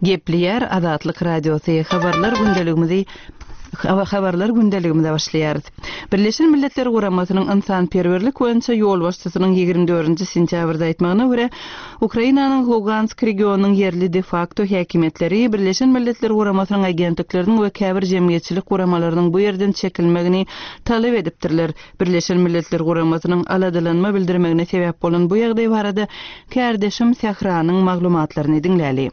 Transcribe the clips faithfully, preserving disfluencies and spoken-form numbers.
Gepleýär Azatlyk Radiosy, Habarlar gündeligimizi Habarlar gündeligimize başlaýarys. Birleşen Milletler Guramasynyň ynsanperwerlik boýunça ýolbaşçysynyň ýigrimi dördünji sentýabrda aýtmagyna görä, Ukrainanyň Lugansk regionynyň ýerli de-fakto häkimiýetleri Birleşen Milletler Guramasynyň agentlikleriniň we käbir jemgyýetçilik guramalarynyň bu ýerden çekilmegini talap edipdirler. Birleşen Milletler Guramasynyň aladalanma bildirmegine sebäp bolan bu ýagdaý barada kärdeşim Sähranyň maglumatlaryny diňläli.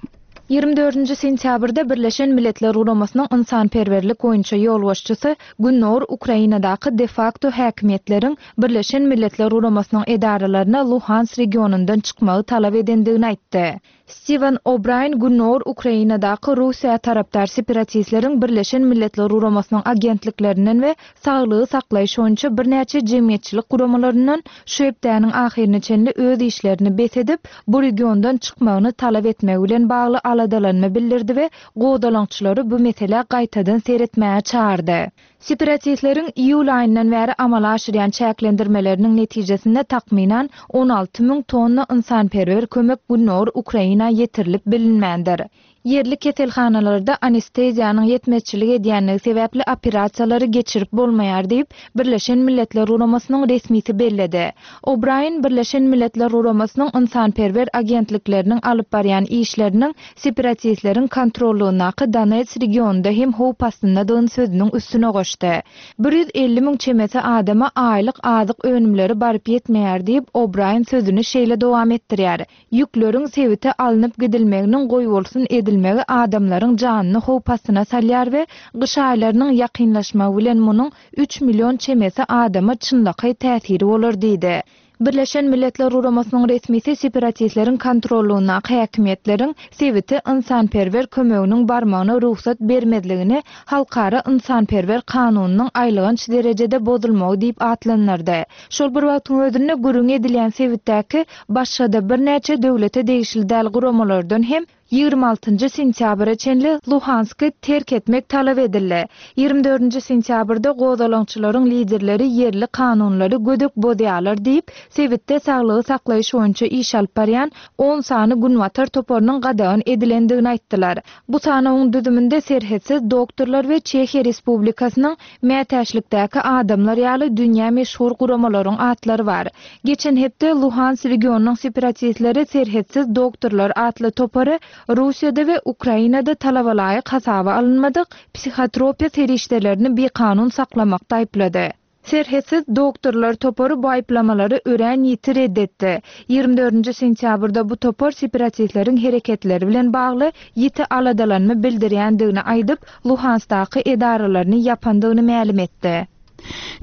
Ýigrimi dördünji sentýabrda Birleşen Milletler Guramasynyň ynsanperwerlik boýunça ýolbaşçysy Gündogar Ukrainadaky de-fakto häkimiýetleriň Birleşen Milletler Guramasynyň edaralaryna Luhansk regionyndan çykmagy talap edendigini aýtdy. Stiwen O'Braýn Gündogar Ukrainadaky Russiýa tarapdar separatistleriň Birleşen Milletler Guramasynyň agentliklerinden we saglygy saklaýyş boýunça birnäçe jemgyýetçilik guramalaryndan şu hepdäniň ahyryna çenli öz işlerini bes edip, bu regiondan çykmagyny talap etmegi bilen bagly aladalanma bildirdi we gozgalaňçylary bu meselä gaýtadan seretmäge çagyrdy. Separatistleriň iýul aýyndan bäri amala aşyrýan çäklendirmeleriniň netijesinde takmynan on alty müň tonna ynsanperwer kömek Gündogar Ukraina ýetirilip bilinmändir. Ýerli keselhanalarda anesteziýanyň ýetmezçilik edýänligi sebäpli operasiýalary geçirip bolmaýar diýip, Birleşen Milletler Guramasynyň resmisi belledi. O'Braýn Birleşen Milletler Guramasynyň ynsanperwer agentlikleriniň alyp barýan işleriniň separatistleriň kontrollugyndaky Donetsk regionynda hem howp astyndadygyny sözüniň üstüne goşdy. Bir ýüz elli müň çemesi adama aýlyk azyk önümleri baryp ýetmeýär diýip, O'Braýn sözüni şeýle dowam etdirýär. Ýükleriň sebite alnyp gidilmeginiň goýbolsun edilmegi adamlaryň janyny howp astyna salýar we gyş aýlarynyň ýakynlaşmagy bilen munuň üç million çemesi adama çynlakaý täsiri bolar diýdi. Birleşen Milletler Guramasynyň resmisi separatistleriň kontrollugyndaky häkimiýetleriň sebite ynsanperwer kömeginiň barmagyna rugsat bermezligini halkara ynsanperwer kanunynyň aýylganç derejede bozulmagy diýip atlandyrdy. Şol bir wagtyň özünde gürrüň edilýän sebitdäki başga-da birnäçe döwlete degişli däl guramalardan hem ýigrimi altynjy sentýabra çenli Luhansky terk etmek talap edildi. Ýigrimi dördünji sentýabrda gozgalaňçylaryň liderleri ýerli kanunlary gödek bozýarlar diýip, sebitde saglygy saklaýyş boýunça iş alyp barýan on sany günbatar toparynyň gadagan edilendigini aýtdylar. Bu sanawyň düzüminde serhetsiz doktorlar we Çehiýa Respublikasynyň mätäçlikdäki adamlar ýaly dünýä meşhur guramalaryň atlary bar. Geçen hepde Luhansk regionynyň separatistleri serhetsiz doktorlar atly topary Russiýada we Ukrainada talabalaýyk hasaba alynmadyk psihotropiýa serişdelerini bikanun saklamakda aýyplady. Serhetsiz doktorlar topary bu aýyplamalary örän ýiti red etdi. Ýigrimi dördünji sentýabrda bu topar separatistleriň hereketleri bilen bagly ýiti aladalanma bildirýändigini aýdyp, Luhanskdaky edaralaryny ýapandygyny mälim etdi.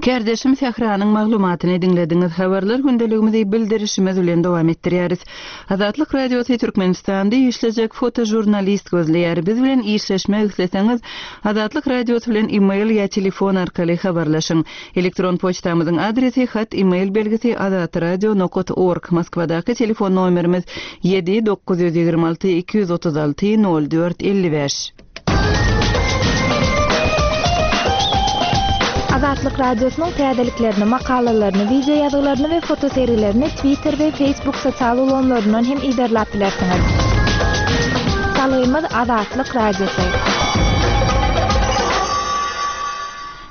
Kärdeşim Sähranyň maglumatyny diňlediňiz. Habarlar gündeligimizi bildirişimiz bilen dowam etdirýäris. Azatlyk Radiosy Türkmenistanda işlejek fotožurnalist gözleýär. Biz bilen işleşmek isleseňiz, Azatlyk Radiosy bilen e-mail ýa telefon arkaly habarlaşyň. Elektron poçtamyzyň adresi hat e-mail belgisi azatradio nokat org. Moskwadaky telefon nomerimiz ýedi dokuz ýüz ýigrimi alty iki ýüz otuz alty nol dört elli bäş. Azatlyk Radiosynyň täzeliklerini, makalalaryny, video ýazgylaryny we fotosergilerini Twitter we Facebook sosial ulgamlaryndan hem iberläp bilersiňiz. Salgymyz Azatlyk Radiosy.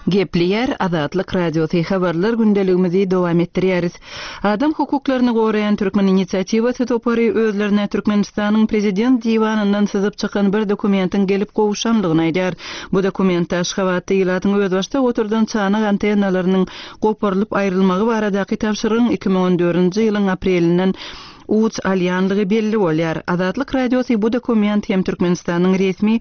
Gepleýär Azatlyk Radiosy, habarlar gündeligimizi dowam etdirýäris. Adam hukuklaryny goraýan Türkmen inisiatiwasy topary özlerine Türkmenistanyň prezident diwanyndan syzyp çykan bir dokumentiň gelip gowşanlygyny aýdýar. Bu dokumentde Aşgabatda ilatyň özbaşdak oturdan çanak antennalarynyň goparylyp aýrylmagy baradaky tabşyrygyň iki müň on dördünji ýylyň aprelinden uç alýanlygy belli bolýar. Azatlyk Radiosy bu dokument hem Türkmenistanyň resmi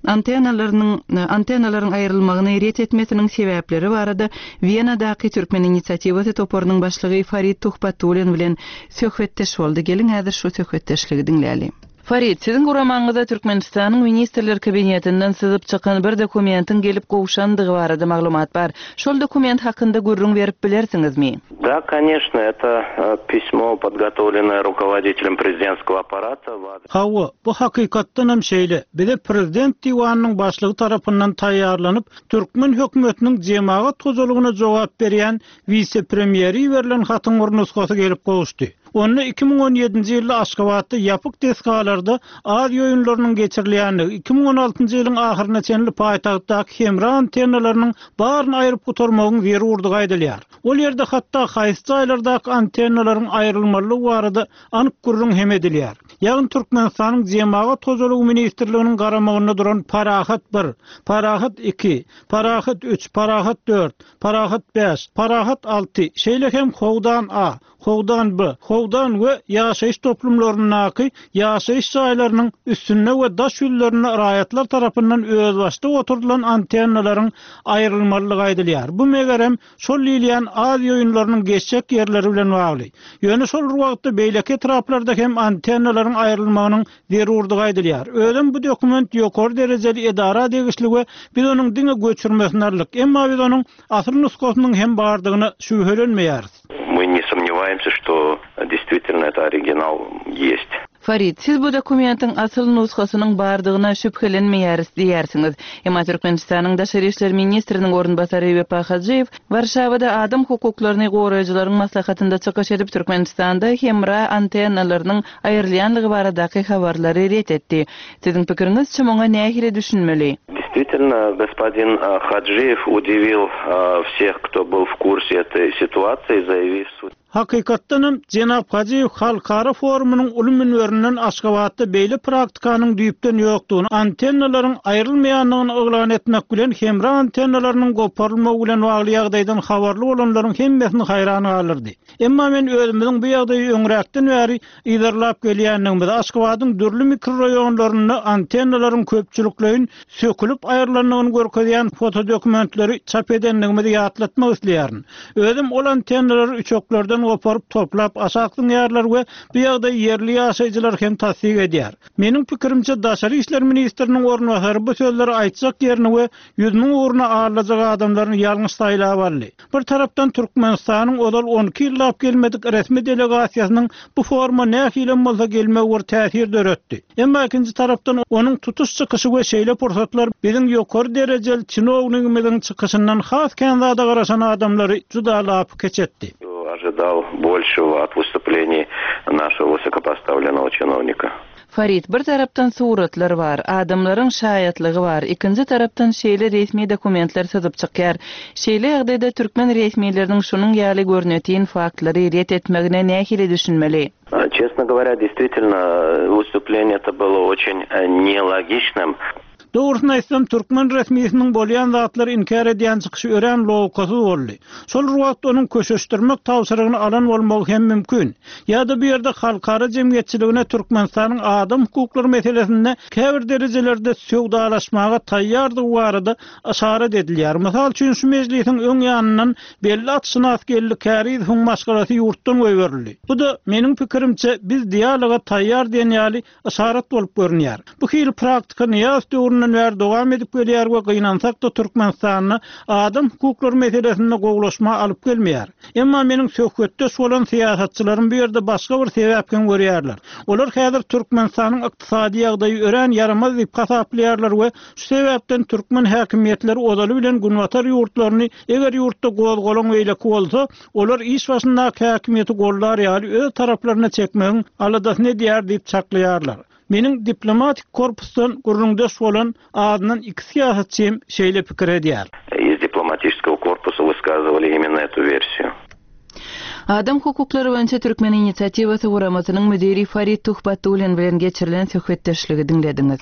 antennalarynyň, antennalaryň aýrylmagyny ret etmesiniň sebäpleri barada Wenadaky Türkmen inisiatiwasy toparynyň başlygy Farid Tuhbatullin bilen söhbetdeş boldy. Geliň häzir şu söhbetdeşligi diňläli. Farid, siziň guramaňyzda Türkmenistanyň Ministrler Kabinetinden syzyp çykan bir dokumentiň gelip gowşandygy barada maglumat bar. Şol dokument hakynda gürrüň berip bilersiňizmi? Да, конечно, это, э, письмо, подготовленное руководителем президентского аппарата. Hawa, bu hakykatdan hem şeýle. Bize prezident diwanynyň başlygy tarapyndan taýýarlanyp, Türkmen hökümetiniň jemagat hojalygyna jogap berýän wise-premýeri berlen hatyň bir nusgasy gelip gowuşdy. Onda iki müň on ýedinji ýylda Aşgabatda ýapyk desgalarda Aziýa oýunlarynyň geçirilýändigi, iki müň on altynjy ýylyň ahyryna çenli paýtagtdaky hemra antennalarynyň baryny aýryp gutarmagyň zerurdygy aýdylýar. Ol ýerde hatda haýsy jaýlardaky antennalaryň aýrylmalydygy barada anyk gürrüň hem edilýär. Ýagny Türkmenistanyň Jemagat hojalygy ministrliginiň garamagynda duran Parahat bir, Parahat iki, Parahat üç, Parahat dört, Parahat bäş, Parahat alty, şeýle hem Howdan A, Howdan B, Howdan we ýaşaýyş toplumlaryndaky ýaşaýyş jaýlarynyň üstünde we daş ýüzlerinde raýatlar tarapyndan özbaşdak oturdylan antennalaryň aýrylmalydygy aýdylýar. Bu megerem şol diýilýän Aziýa oýunlarynyň geçjek ýerleri bilen bagly. Ýöne şol bir wagtda beýleki etraplarda hem antennalaryň aýrylmagynyň zerurdygy aýdylýar. Özem bu dokument ýokary derejeli edara degişli we biz onuň diňe göçürmesini aldyk. Emma biz onuň asyl nusgasynyň hem bardygyna şübhelenmeýäris. Мы не сомневаемся, что действительно это оригинал есть. Farid, siz bu dokumentiň asyl nusgasynyň bardygyna şübhelenmeýäris diýýärsiňiz. Emma Türkmenistanyň Daşary işler ministriniň orunbasary Wepa Hajyýew Warşawada adam hukuklaryny goraýjylaryň maslahatynda çykyş edip Türkmenistanda hemra antennalarynyň aýrylýanlygy baradaky habarlary ret etdi. Siziň pikiriňizçe muňa nähili düşünmeli? Действительно, господин, э, Хаджиев удивил, э, всех, кто был в курсе этой ситуации, заявив суд. Hakykatdanam Jenap Hajyýew Halkara forumynyň uly münberinden Aşgabatda beýle praktikanyň düýpden ýokdugyny, antennalaryň aýrylmaýandygyny yglan etmek bilen hemra antennalarynyň goparylmagy bilen bagly ýagdaýdan habarly bolanlaryň hemmesini haýran galdyrdy. Emma men özümiziň bu ýagdaýy öňräkden bäri yzarlap gelýändigimizi, Aşgabadyň dürli mikrorayonlarynda antennalaryň köpçülikleýin sökülip aýrylandygyny görkezýän fotodokumentleri çap edendigimizi ýatlatmak isleýärin. Özüm ol antennalary üçeklerden goparyp toplap aşak zyňýarlar we bu ýagdaýy ýerli ýaşaýjylar hem tassyk edýär. Meniň pikirimçe Daşary işler ministriniň orunbasary bu sözleri aýtjak ýerini we ýüz müň ugruna alajak adamlaryny ýalňyş saýlap aldy. Bir tarapdan Türkmenistanyň ozal on iki ýyllap gelmedik resmi delegasiýasynyň bu foruma nähili bolsa gelmegi bir täsir döretdi. Emma ikinji tarapdan onuň tutuş çykyşy we şeýle pursatlar biziň ýokary derejeli çinownigimiziň çykyşyndan has kän zada garaşan adamlary juda lapy keç etdi. Ожидал большего от выступлений нашего высокопоставленного чиновника. Farid, bir tarapdan suratlar bar, adamlaryň şaýatlygy bar, ikinji tarapdan şeýle resmi dokumentler syzyp çykýar. Şeýle ýagdaýda türkmen resmileriniň şunuň ýaly görnütýän faktlary ret etmegine nähili düşünmeli? А, Честно говоря, действительно, выступление это было очень, э, нелогичным. Dogrusyny aýtsam, türkmen resmisiniň bolýan zatlary inkär edýän çykyşy örän logikasyz boldy. Şol wagt onuň köşeşdirmek tabşyrygyny alan bolmagy hem mümkin. Ýa-da bu ýerde halkara jemgyýetçiligine Türkmenistanyň adam hukuklary meselesinde käbir derejelerde söwdalaşmaga taýýardygy barada yşarat edilýär. Mysal üçin şu mejlisiň öň ýanyndan belli atşynas geldi Kärizowyň maşgalasy ýurtdan goýberildi. Bu da meniň pikirimçe biz dialoga taýýar diýen ýaly yşarat bolup görünýär. Bu hili praktika Nyýazow döwründen bäri dowam edip gelýär we gynansak da Türkmenistanda adam hukuklary meselesinde gowulaşma alyp gelmeýär. Emma meniň söhbetdeş bolan syýasatçylarym bu ýerde başga bir sebäp hem görýärler. Olar häzir Türkmenistanyň ykdysady ýagdaýy örän ýaramaz diýip hasaplaýarlar we şu sebäpden türkmen häkimiýetleri ozaly bilen günbatar ýurtlaryny eger ýurtda gozgalaň beýleki bolsa, olar iş başyndaky häkimiýeti gollar ýaly öz taraplaryna çekmegiň aladasyny edýär diýip çaklaýarlar. Meniň diplomatik korpusdan gürrüňdeş bolan adyndan iki syýasatçym şeýle pikir edýär. Из дипломатического корпуса высказывали именно эту версию. Adam hukuklary boýunça Türkmen inisiatiwasy guramasynyň müdiri Farid Tuhbatullin bilen geçirilen söhbetdeşligi diňlediňiz.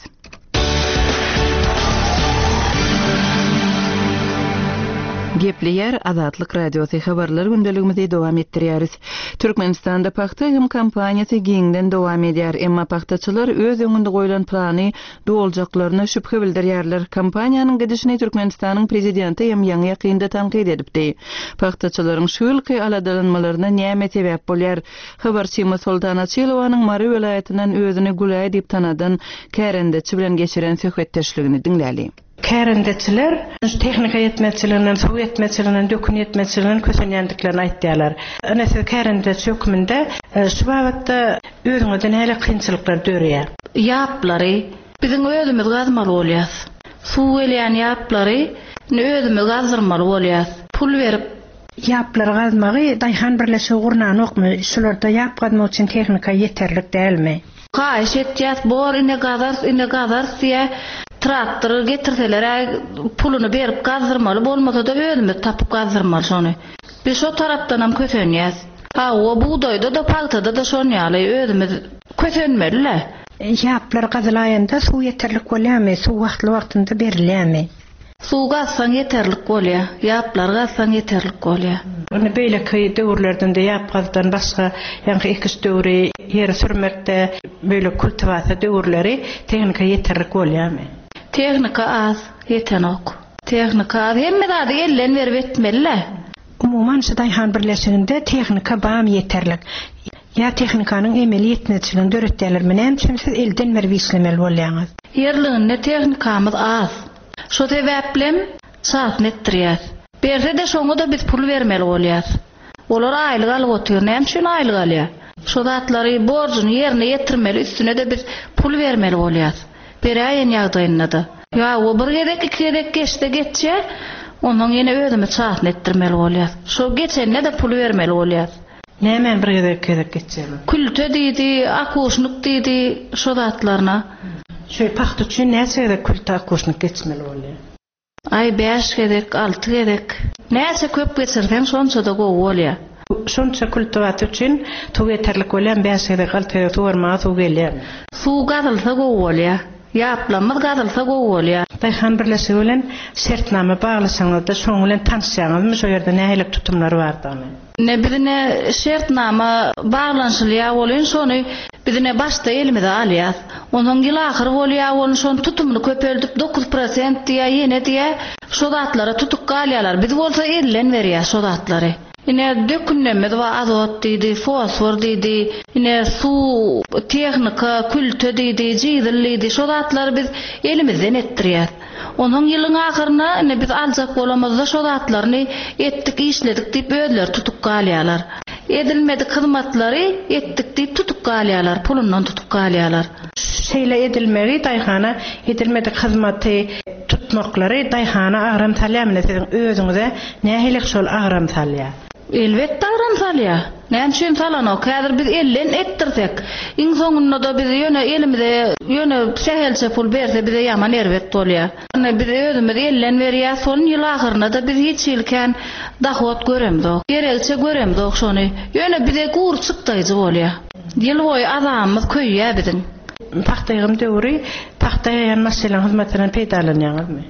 Gepleýär Azatlyk Radiosy habarlar gündeligimizi dowam etdirýäris. Türkmenistanda pagta hem kampaniýasy giňden dowam edýär. Emma pagtaçylar öz öňünde goýlan plany doljaklaryna şübhe bildirýärler. Kampaniýanyň gidişini Türkmenistanyň prezidenti hem ýaňy ýakynda tankyt edipdi. Pagtaçylaryň şu ýylky aladalanmalaryna näme sebäp bolýar? Habarçymyz Soltan Açylowanyň Mary welaýatyndan özüni Gülaý diýip tanadan kärendeçi bilen geçiren söhbetdeşligini diňläli. Kärendeçiler tehnika ýetmezçiliginden, suw ýetmezçiliginden, dökün ýetmezçiliginden kösenýändiklerini aýtýarlar. Ine siz kärendeçi hökmünde, e, şu babatda özüňizde nähili kynçylyklar dörýär? Ýaplary biziň özümiz gazmaly bolýas. Suw gelýän ýaplary özümiz gazdyrmaly bolýas. Pul berip Ýaplary gazmagy daýhan birleşigi gurnanokmy? Şularda ýap gazmak üçin tehnika ýeterlik dälmi? Haýyş etýäs, bor ine gazarys, ine gazarys diýä, traktor getirseler puluny berip gazdyrmaly, bolmasa-da özümiz tapyp gazdyrmaly şony. Biz şo tarapdanam kösenýäs. Hawa, bugdaýda-da, pagtada-da şon ýaly özümiz kösenmeli-le. Ýaplar gazylaýanda suw ýeterlik bolýarmy? Suw wagtly-wagtynda berilýärmi? Suw gazsaň ýeterlik bolýar, ýaplar gazsaň ýeterlik bolýar. Ony beýleki döwürlerden de ýap gazdan başga, ýaňky ekiş döwri, ýeri sürmekde, beýle kultiwasiýa döwürleri tehnika ýeterlik bolýarmy? Tehnika az, ýetenok. Tehnika az, hemme zady elden berip etmeli-le. Umuman şu daýhan birleşiginde tehnika bam ýeterlik. Ýa tehnikanyň emeli ýetmezçiligini döretýärlermi? Näme üçin siz elden berip işlemeli bolýaňyz? Ýerliginde tehnikamyz az. Şo sebäplem çatny etdirýäs. Berse-de şoňa-da biz pul bermeli bolýas. Olar aýlyk alyp otyr. Näme üçin aýlyk alýar? Şo zatlary borjuny ýerine ýetirmeli, üstüne-de biz pul bermeli bolýas. Beräýen ýagdaýynda-da. Ýa o bir gezek, iki gezek geçse geçýär, ondan ýene özümiz çatny etdirmeli bolýas. Şo geçende-de pul bermeli bolýas. Näme bir gezek, iki gezek geçýär? Külte diýdi, akuşnyk diýdi, şo zatlaryna. Şu pagta üçin näçe gezek külte akuşnyk geçmeli bolýar? Aý bäş gezek, alty gezek. Näçe köp geçirseň şonça-da gowy bolýar. Şonça kultiwasiýa üçin suw ýeterlik bolýar, bäş gezek, alty gezek suw bermäge suw gelýär. Suw gazylsa gowy bolýar. Ýaplamyz gazylsa gowy bolýar. Daýhan birleşigi bilen şertnama baglaşaňyzda şoň bilen tanyşýaňyzmy, şo ýerde nähili tutumlar bardygyny? Ne bizine şertnama baglanşylýar bolýan şony bizine başda elimize alýas. Onuň ýyl ahyry bolýar, bolun şony tutumyny köpeldip dokuz prosent diýä, ýene diýä, şo zatlara tutup galýarlar. Biz bolsa elden berýär şo zatlary. Ine dökünlemez wa azot diýdi, fosfor diýdi, ine suw, tehnika, külte diýdi, jizil diýdi. Şo zatlary biz elimizden etdirýäs. Onuň ýylyň ahyryna ine biz aljak bolamyzda şo zatlaryny etdik, işledik diýip özleri tutup galýarlar. Edilmedik hyzmatlary etdik diýip tutup galýarlar, pulundan tutup galýarlar. Şeýle edilmegi daýhana edilmedik hyzmaty tutmaklary daýhana agram salýarmy? Siziň özüňize nähili şol agram salýar? Elbetde agram salýar. Näme üçin salanok? Häzir biz elden etdirsek, iň soňunda da biz ýöne elimize ýöne sähelçe pul berse bize ýaman erbet bolýar. Ýöne biz özümiz elden berýär, son ýyl ahyryna da biz hiç ýylkän dahot göremzok. Gerekçe göremzok şony. Ýöne bize gur çykdaýjy bolýar. Ýyl boýy azamymyz köýýär biziň. Pagta ýygym döwri pagta ýygýan maşynlaryň hyzmatyndan peýdalanýaňyzmy?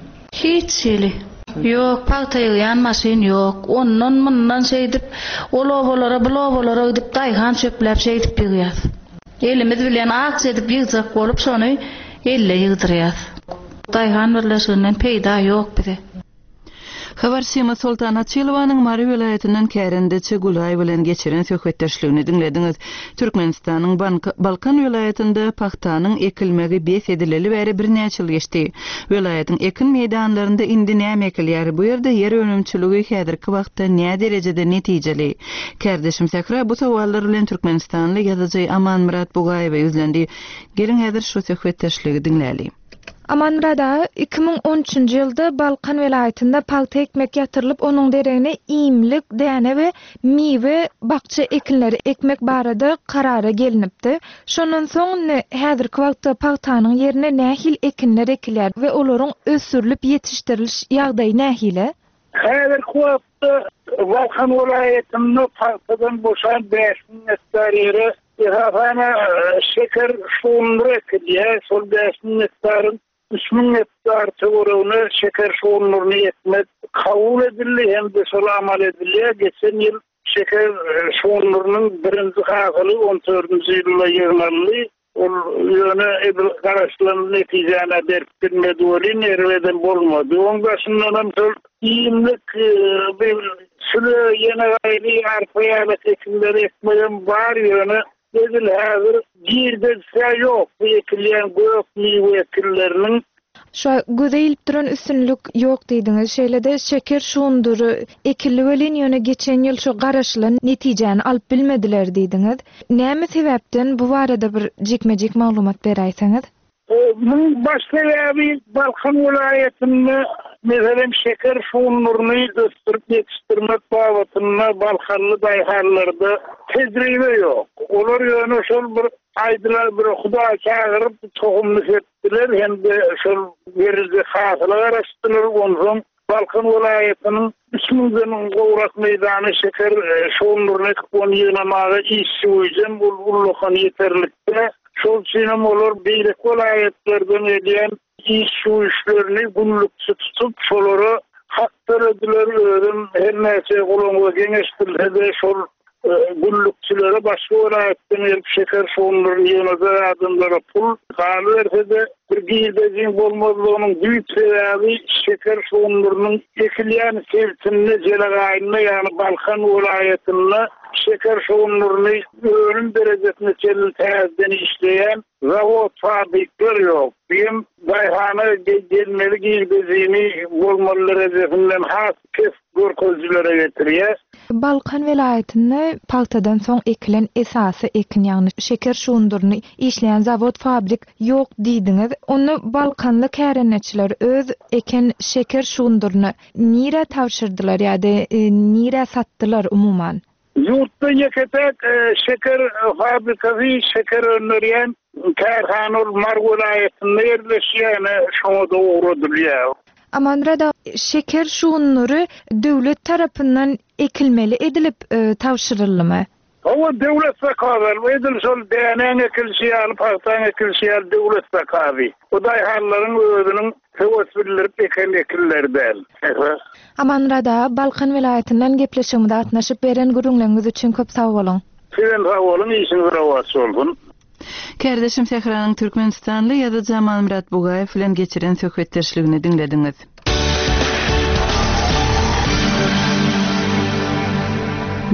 Hiç hili. Ýok, pagta ýygýan maşyn ýok. Ondan mundan şeýdip, ol obalara, bu obalara gidip daýhan çöpläp şeýdip ýygýas. Elimiz bilen akç edip ýygjak bolup şony elle ýygdyrýas. Daýhan birleşiginden peýda ýok bize. Habarçymyz Soltan Açylowanyň Mary welaýatyndan kärendeçi Gulaý bilen geçiren söhbetdeşligini diňlediňiz. Türkmenistanyň Bank-, Balkan welaýatynda pagtanyň ekilmegi bes edileli bäri birnäçe ýyl geçdi. Welaýatyň ekin meýdanlarynda indi näme ekilýär? Bu ýerde ýer önümçiligi häzirki wagtda nä derejede netijeli? Kärdeşim Sähra bu sowallar bilen Türkmenistanly ýazyjy Amanmyrat Bugaýewe ýüzlendi. Geliň häzir şu söhbetdeşligi diňläli. Amanmyrat aga, iki müň on üçünji ýylda Balkan welaýatynda pagta ekmek ýatyrylyp, onuň deregine iýmlik, däne we miwe bakça ekinleri ekmek barada karara gelinipdi. Şondan soň indi häzirki wagtda pagtanyň ýerine nähili ekinler ekilýär we olaryň ösdürilip ýetişdiriliş ýagdaýy nähili? Häzirki wagtda Balkan welaýatynda pagtadan boşan bäş müň gektar ýere esasan, e, şeker şugundyry ekilýär. Şol bäş müň gektaryň üç müň gektar töweregine şeker şugundyryny ekmek kabul edildi hem de şol amal edilýär. Geçen ýyl şeker, e, şugundyrynyň birinji hasyly on dördünji ýylda ýygnaldy. Ol ýöne edil garaşylan netijäni berip bilmedi welin, erbedem bolmady. Oň başyndan hem şol iýmlik, e, bir süle ýene gaýry arpa ýaly ekinleri ekmegem bar, ýöne edil häzir girdejisi ýok. Bu ekilýän gök miwe ekinleriniň Şu göze ilip duran üstünlik ýok diýdiňiz. Şeýle-de şeker şugundyry ekildi welin ýöne geçen ýyl şu garaşylan netijäni alyp bilmediler diýdiňiz. Näme sebäpden bu barada bir jikme-jik maglumat beräýseňiz? E, Muň baş sebäbi Balkan welaýatynda Meselem, şeker şugundyryny ösdürip ýetişdirmek babatynda Balkanly daýhanlarda tejribe ýok. Olar ýöne şol bir aýdylar bir Hudaý çagyryp tohumny sepdiler hem-de şol beriljek hasyla garaşdylar. Onsoň Balkan welaýatynyň üç müňden gowrak meýdany şeker şugundyryny ekip ony ýygnamaga işçi güýjem ul ullakan ýeterlikde. Şol üçinem olar beýleki welaýatlardan gelýän işçi güýçlerini günlükçi tutup, şolara hak dörediler. Özüm her näçe gulaňa geňeşdirilse-de şol günlükçilere başga welaýatdan gelip şeker şugundyryny ýygnajak adamlara pul galyberse-de bir girdejiň bolmazlygynyň düýp sebäbi şeker şugundyrynyň ekilýän sebitinde Jelegaýynda, ýagny Balkan welaýatynda şeker şugundyryny önüm derejesine çenli täzeden işleýän zawod fabrikler ýok. Hem daýhana gelmeli girdejini bolmaly derejesinden has pes görkezijilere getirýär. Balkan welaýatynda pagtadan soň ekilen esasy ekin, ýagny şeker şugundyryny işleýän zawod fabrik ýok diýdiňiz. Onda Balkanly kärendeçiler öz eken şeker şugundyryny nirä tabşyrdylar ýa-da nirä satdylar umuman? Ýurtda ýeke-tek şeker fabrikasy şeker öndürýän kärhana ol Mary welaýatynda ýerleşýär, şoňa da ugradylýar. Amanmyrat aga, şeker şugundyry döwlet tarapyndan ekilmeli edilip tabşyryldymy? Hawa, döwlet zakazy, edil şol dänäň ekilişi ýaly, pagtaň ekilişi ýaly döwlet zakazy. Bu daýhanlaryň özüniň höwes bildirip eken ekinleri däl. Amanmyrat aga, Balkan welaýatyndan gepleşigimize gatnaşyp beren gürrüňleriňiz üçin köp sag boluň. Sizem sag boluň, işiňiz rowaç bolsun. Kärdeşim Sähranyň Türkmenistanly ýazyjy Amanmyrat Bugaýew bilen geçiren söhbetdeşligini diňlediňiz.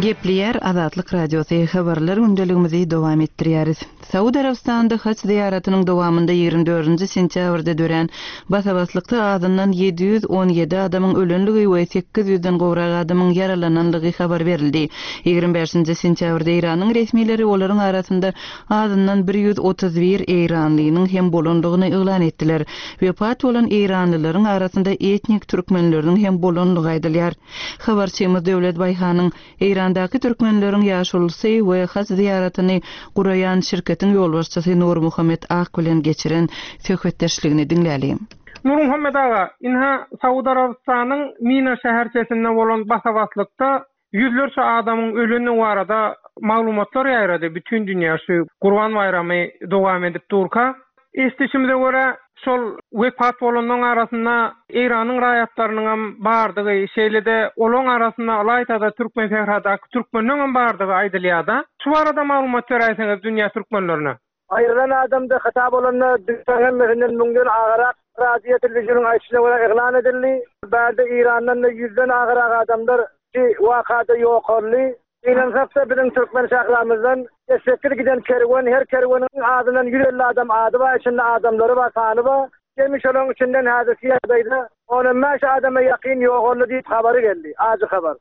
Gepleýär Azatlyk Radiosy habarlar gündeligimizi dowam etdirýäris. Saud Arabistanynda haç zyýaratynyň dowamynda ýigrimi dördünji sentýabrda dörän basabaslykda azyndan ýedi ýüz on ýedi adamyň ölenligi we sekiz ýüzden gowrak adamyň ýaralananlygy habar berildi. Ýigrimi bäşinji sentýabrda Eýranyň resmileri olaryň arasynda azyndan bir ýüz otuz bir eýranlynyň hem bolanlygyny yglan etdiler. Wepat bolan eýranlylaryň arasynda etnik türkmenleriniň hem bolanlygy aýdylýar. Habarçymyz Döwlet Baýhanyň Eýrandaky türkmenleriň ýaşulusy we haç zyýaratyny guraýan şirketiň ýolbaşçysy Nurmuhammet Ak bilen geçiren söhbetdeşligini diňläli. Nurmuhammet aga, inha Saud Arabystanyň Mina şäherçesinde bolan basabaslykda ýüzlerçe adamyň öleni barada maglumatlar ýaýrady. Bütün dünýä şu Gurban baýramy dowam edip durka. Eşidişimize görä, şol wepat bolanlaryň arasynda Eýranyň raýatlarynyň hem bardygy, şeýle-de olaryň arasynda ylaýta-da Türkmen sähradaky türkmenleriň hem bardygy aýdylýar-da. Şu barada maglumat beräýseňiz dünýä türkmenlerine. Aýrylan adamda hata bolanda dünýä hemmesinden müňden agarak radio telewizyonyň aýdyşyna görä yglan edildi. Bärde Eýrandan da ýüzden agarak adamlar ki wakada ýokarly. Inansak-da biziň türkmen şähramyzdan sekiz giden kerwen, her kerweniň adyndan ýüz elli adam ady bar, içinde adamlary bar, sany bar. Jemi şolaryň içinden häzirki ýagdaýda on bäş adama ýakyn ýogaldy diýip habary geldi, ajy habar.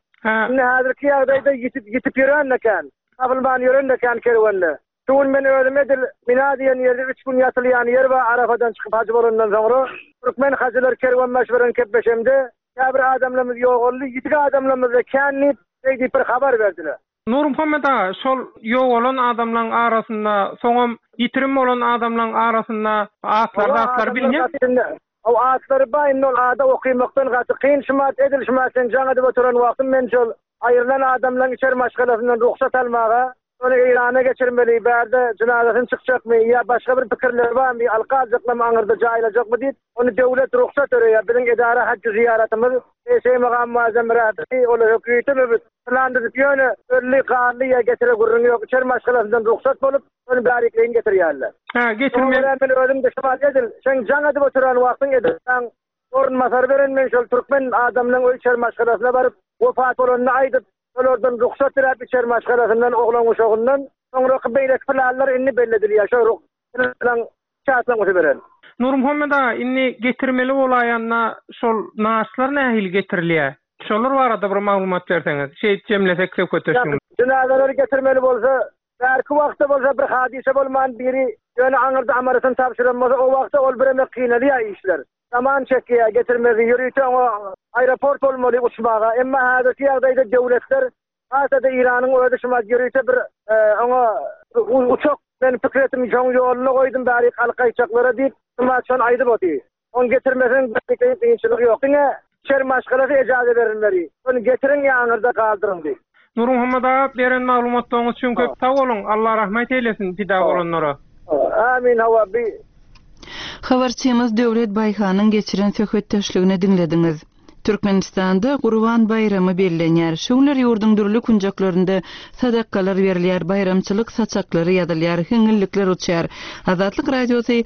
Indi häzirki ýagdaýda ýitip, ýitip ýören eken, tapylman ýören eken kerwende. Şu gün men özüm edil Mina diýen ýerde üç gün ýatylýan ýer bar, Arafadan çykyp hajy bolandan soňra türkmen hajylar kerwen baş beren kepbeşemde käbir adamlarymyz ýogaldy, ýitik adamlarymyz da kän diýip, diýip bir habar berdiler. Nurmuhammet aga, şol ýogalan adamlaryň arasynda, soňam ýitirim bolan adamlaryň arasynda atlar, zatlar bilinýär. O atlary bar, indi ol ada okymakdan gaty kyn şumat edil şumat sen jaň edip oturan wagtym men şol aýrylan adamlaryň içer maşgalasyndan ruhsat almaga, ony Eýrana geçirmeli, bärde jynazasyny çykjakmy ýa başga bir pikirleri barmy, alka aljakmy, aňyrda jaýlajakmy diýip, ony döwlet ruhsat berýär. Biziň edara hajj zyýaratymyz, Eşeý magam muazzam rahberi, ola höküýeti mübüt. Plan düzüp ýöne ölli, ganly ýa getire gürrüň ýok. İçer maşgalasyndan ruhsat bolup, ony bärikleýin getirýärler. Ha, getirme. Oňa men özüm de şumat edil, sen jaň edip oturan wagtyň edilsen, orunbasar beren men şol türkmen adamlaryň öý içer maşgalasyna baryp, wepat bolanyny aýdyp, olardan ruhsat diläp içer maşgalasyndan, oglan uşagyndan, soňraky beýleki planlar indi belli edilýär. Şo ruh plan çatlaňysy beren. Nurmuhammet aga, indi getirmeli bolaýanda şol naşlar nähili getirilýär? Şolar barada bir maglumat berseňiz, şeýt jemlesek söhbetdeşligimizi. Jynazaları getirmeli bolsa, belki wagtda bolsa bir hadise bolman biri ýöne aňyrda amarysyny tabşyran bolsa, o wagtda ol bir emek kynalýar işler. Zaman çekýär, getirmegi ýörite oňa aeroport bolmaly uçmaga. Emma häzirki ýagdaýda döwletler Hasada İran'ın özi şuma ýörite bir oňa uçak men pikir etdim, şoň ýoluna goýdum bäri halkaýçaklara diýip, şuma şon aýdyp oty. On getirmesen bir kynçylyk ýok. Diňe şer maşgalasy ejaza berilmeli. Onu getirin ýaňyrda galdyryň diýip. Nurmuhammet aga beren maglumatlaryňyz üçin köp sag boluň. Allah rahmet eylesin pida bolanlara. Amin hawa bi Habarçymyz Döwlet Baýhanyň geçiren söhbetdeşligini diňlediňiz. Türkmenistanda Gurban baýramy bellenýär. Şu günler ýurduň dürli künjeklerinde sadakalar berilýär, baýramçylyk saçaklary ýazylýar, hiňňillikler uçýar. Azatlyk radiosy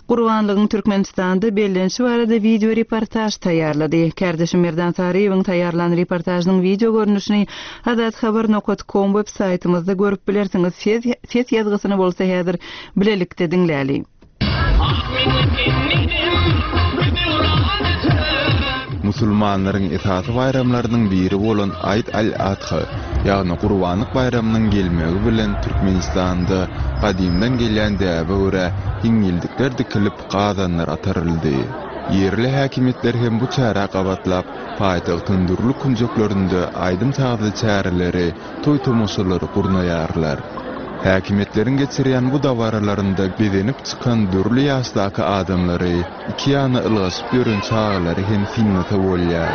Gurbanlygyň Türkmenistanda bellenişi barada video reportaj taýýarlady. Kärdeşim Merdan Saryýewiň taýýarlan reportajynyň video görnüşini azathabar.com web saýtymyzda görüp bilersiňiz. Ses, ses ýazgysyny bolsa häzir bilelikde diňläli. Musulmanlaryň esasy baýramlarynyň biri bolan Aýd al-Adha, ýagny Gurbanlyk baýramynyň gelmegi bilen Türkmenistanda gadymdan gelýän däbe görä hiňňildikler dikilip gazanlar ataryldy. Ýerli häkimiýetler hem bu çärä gabatlap, paýtagtyň dürli künjeklerinde aýdym-sazly çäreleri, toý tomaşalary gurnaýarlar. Häkimiýetleriň geçirýän bu dabaralarynda bezenip çykan dürli ýaşdaky adamlary, iki ýana ylgaşyp ýören çagalary hem synlasa bolýar.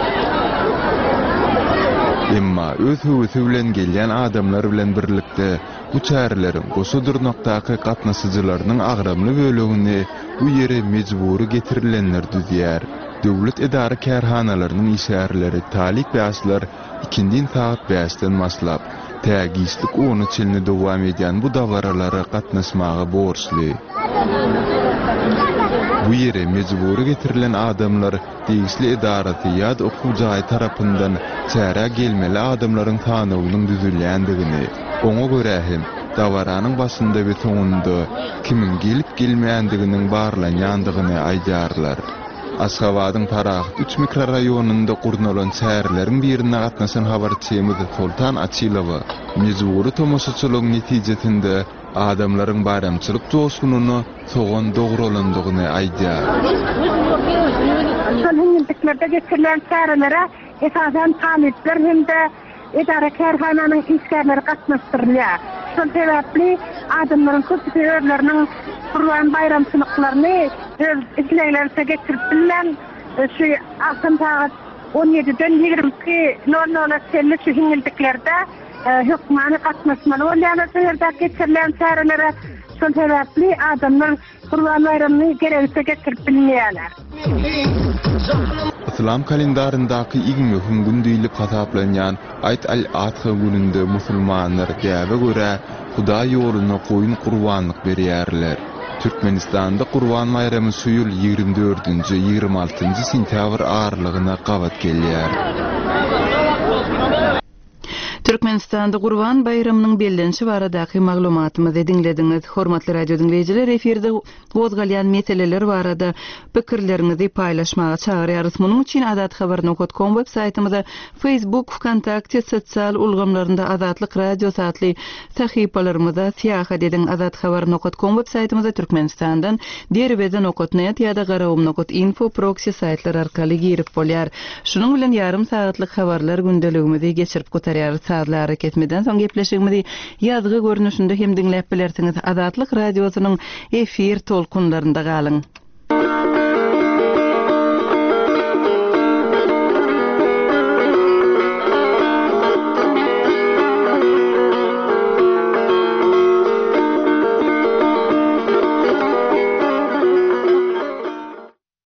Emma öz höwesi bilen gelýän adamlar bilen birlikde bu çäreleriň goşa durnakdaky gatnaşyjylarynyň agramly bölegini bu ýere mejbury getirilenler düzýär. Döwlet edara kärhanalarynyň işgärleri, talyp ýaşlar ikindin saat bäşden başlap, tä giçlik ona çenli dowam edýän bu dabaralara gatnaşmaga borçly. Bu ýere mejbury getirilen adamlar degişli edarasy ýa-da okuw jaýy tarapyndan çärä gelmeli adamlaryň sanawynyň düzülýändigini, oňa görä hem dabaranyň başynda we soňunda kimiň gelip gelmeýändiginiň barlanýandygyny aýdýarlar. Aşgabadyň Parahat üç mikrorayonunda gurnalan çäreleriň birine gatnaşan habarçymyz Sultan Açilowa mejbury tomaşaçylygyň netijesinde adamlaryň baýramçylyk joşgunyna sogan dogralandygyny aýdýar. Şol hiňňildiklerde geçirilen çärelere esasan talyplar hem-de edara kärhananyň işgärleri gatnaşdyrylýar. Şol sebäpli adamlaryň köpüsi özleriniň Gurban baýramçylyklaryny öz isleglerine getirip bilmän, şu agşam sagat on ýediden ýigrimi iki nol nola çenli şu hiňňildiklerde hökmany gatnaşmaly bolýarlar şu ýerde geçirilen çärelere. Şol sebäpli adamlar Gurban baýramyny geregiçe getirip bilmeýärler. Islam kalendaryndaky iň möhüm gün diýlip hasaplanýan Aýd al-Adha gününde musulmanlar däbe görä Hudaý ýoluna goýun gurbanlyk berýärler. Türkmenistanda Gurban baýramy şu ýyl ýigrimi dördünji, ýigrimi altynjy sentýabr aralygyna gabat gelýär. Türkmenistanda Gurban baýramynyň bellenişi baradaky maglumatymyzy diňlediňiz. Hormatly radio diňleýjiler, efirde gozgalýan meseleler barada pikirleriňizi paýlaşmaga çagyrýarys. Munuň üçin azathabar.com web saýtymyza, Facebook, VKontakte sosial ulgamlarynda Azatlyk Radiosy atly sahypalarymyza syýahat ediň. Azathabar.com web saýtymyza Türkmenistandan derweze.net ýa-da garagum.info proxy saýtlar arkaly girip bolýar. Şunuň bilen ýarym sagatlyk habarlar gündeligimizi geçirip gutarýarys. Sazly arakesmeden soň gepleşigimizi ýazgy görnüşinde hem diňläp bilersiňiz. Azatlyk Radiosynyň efir tolkunlarynda galyň.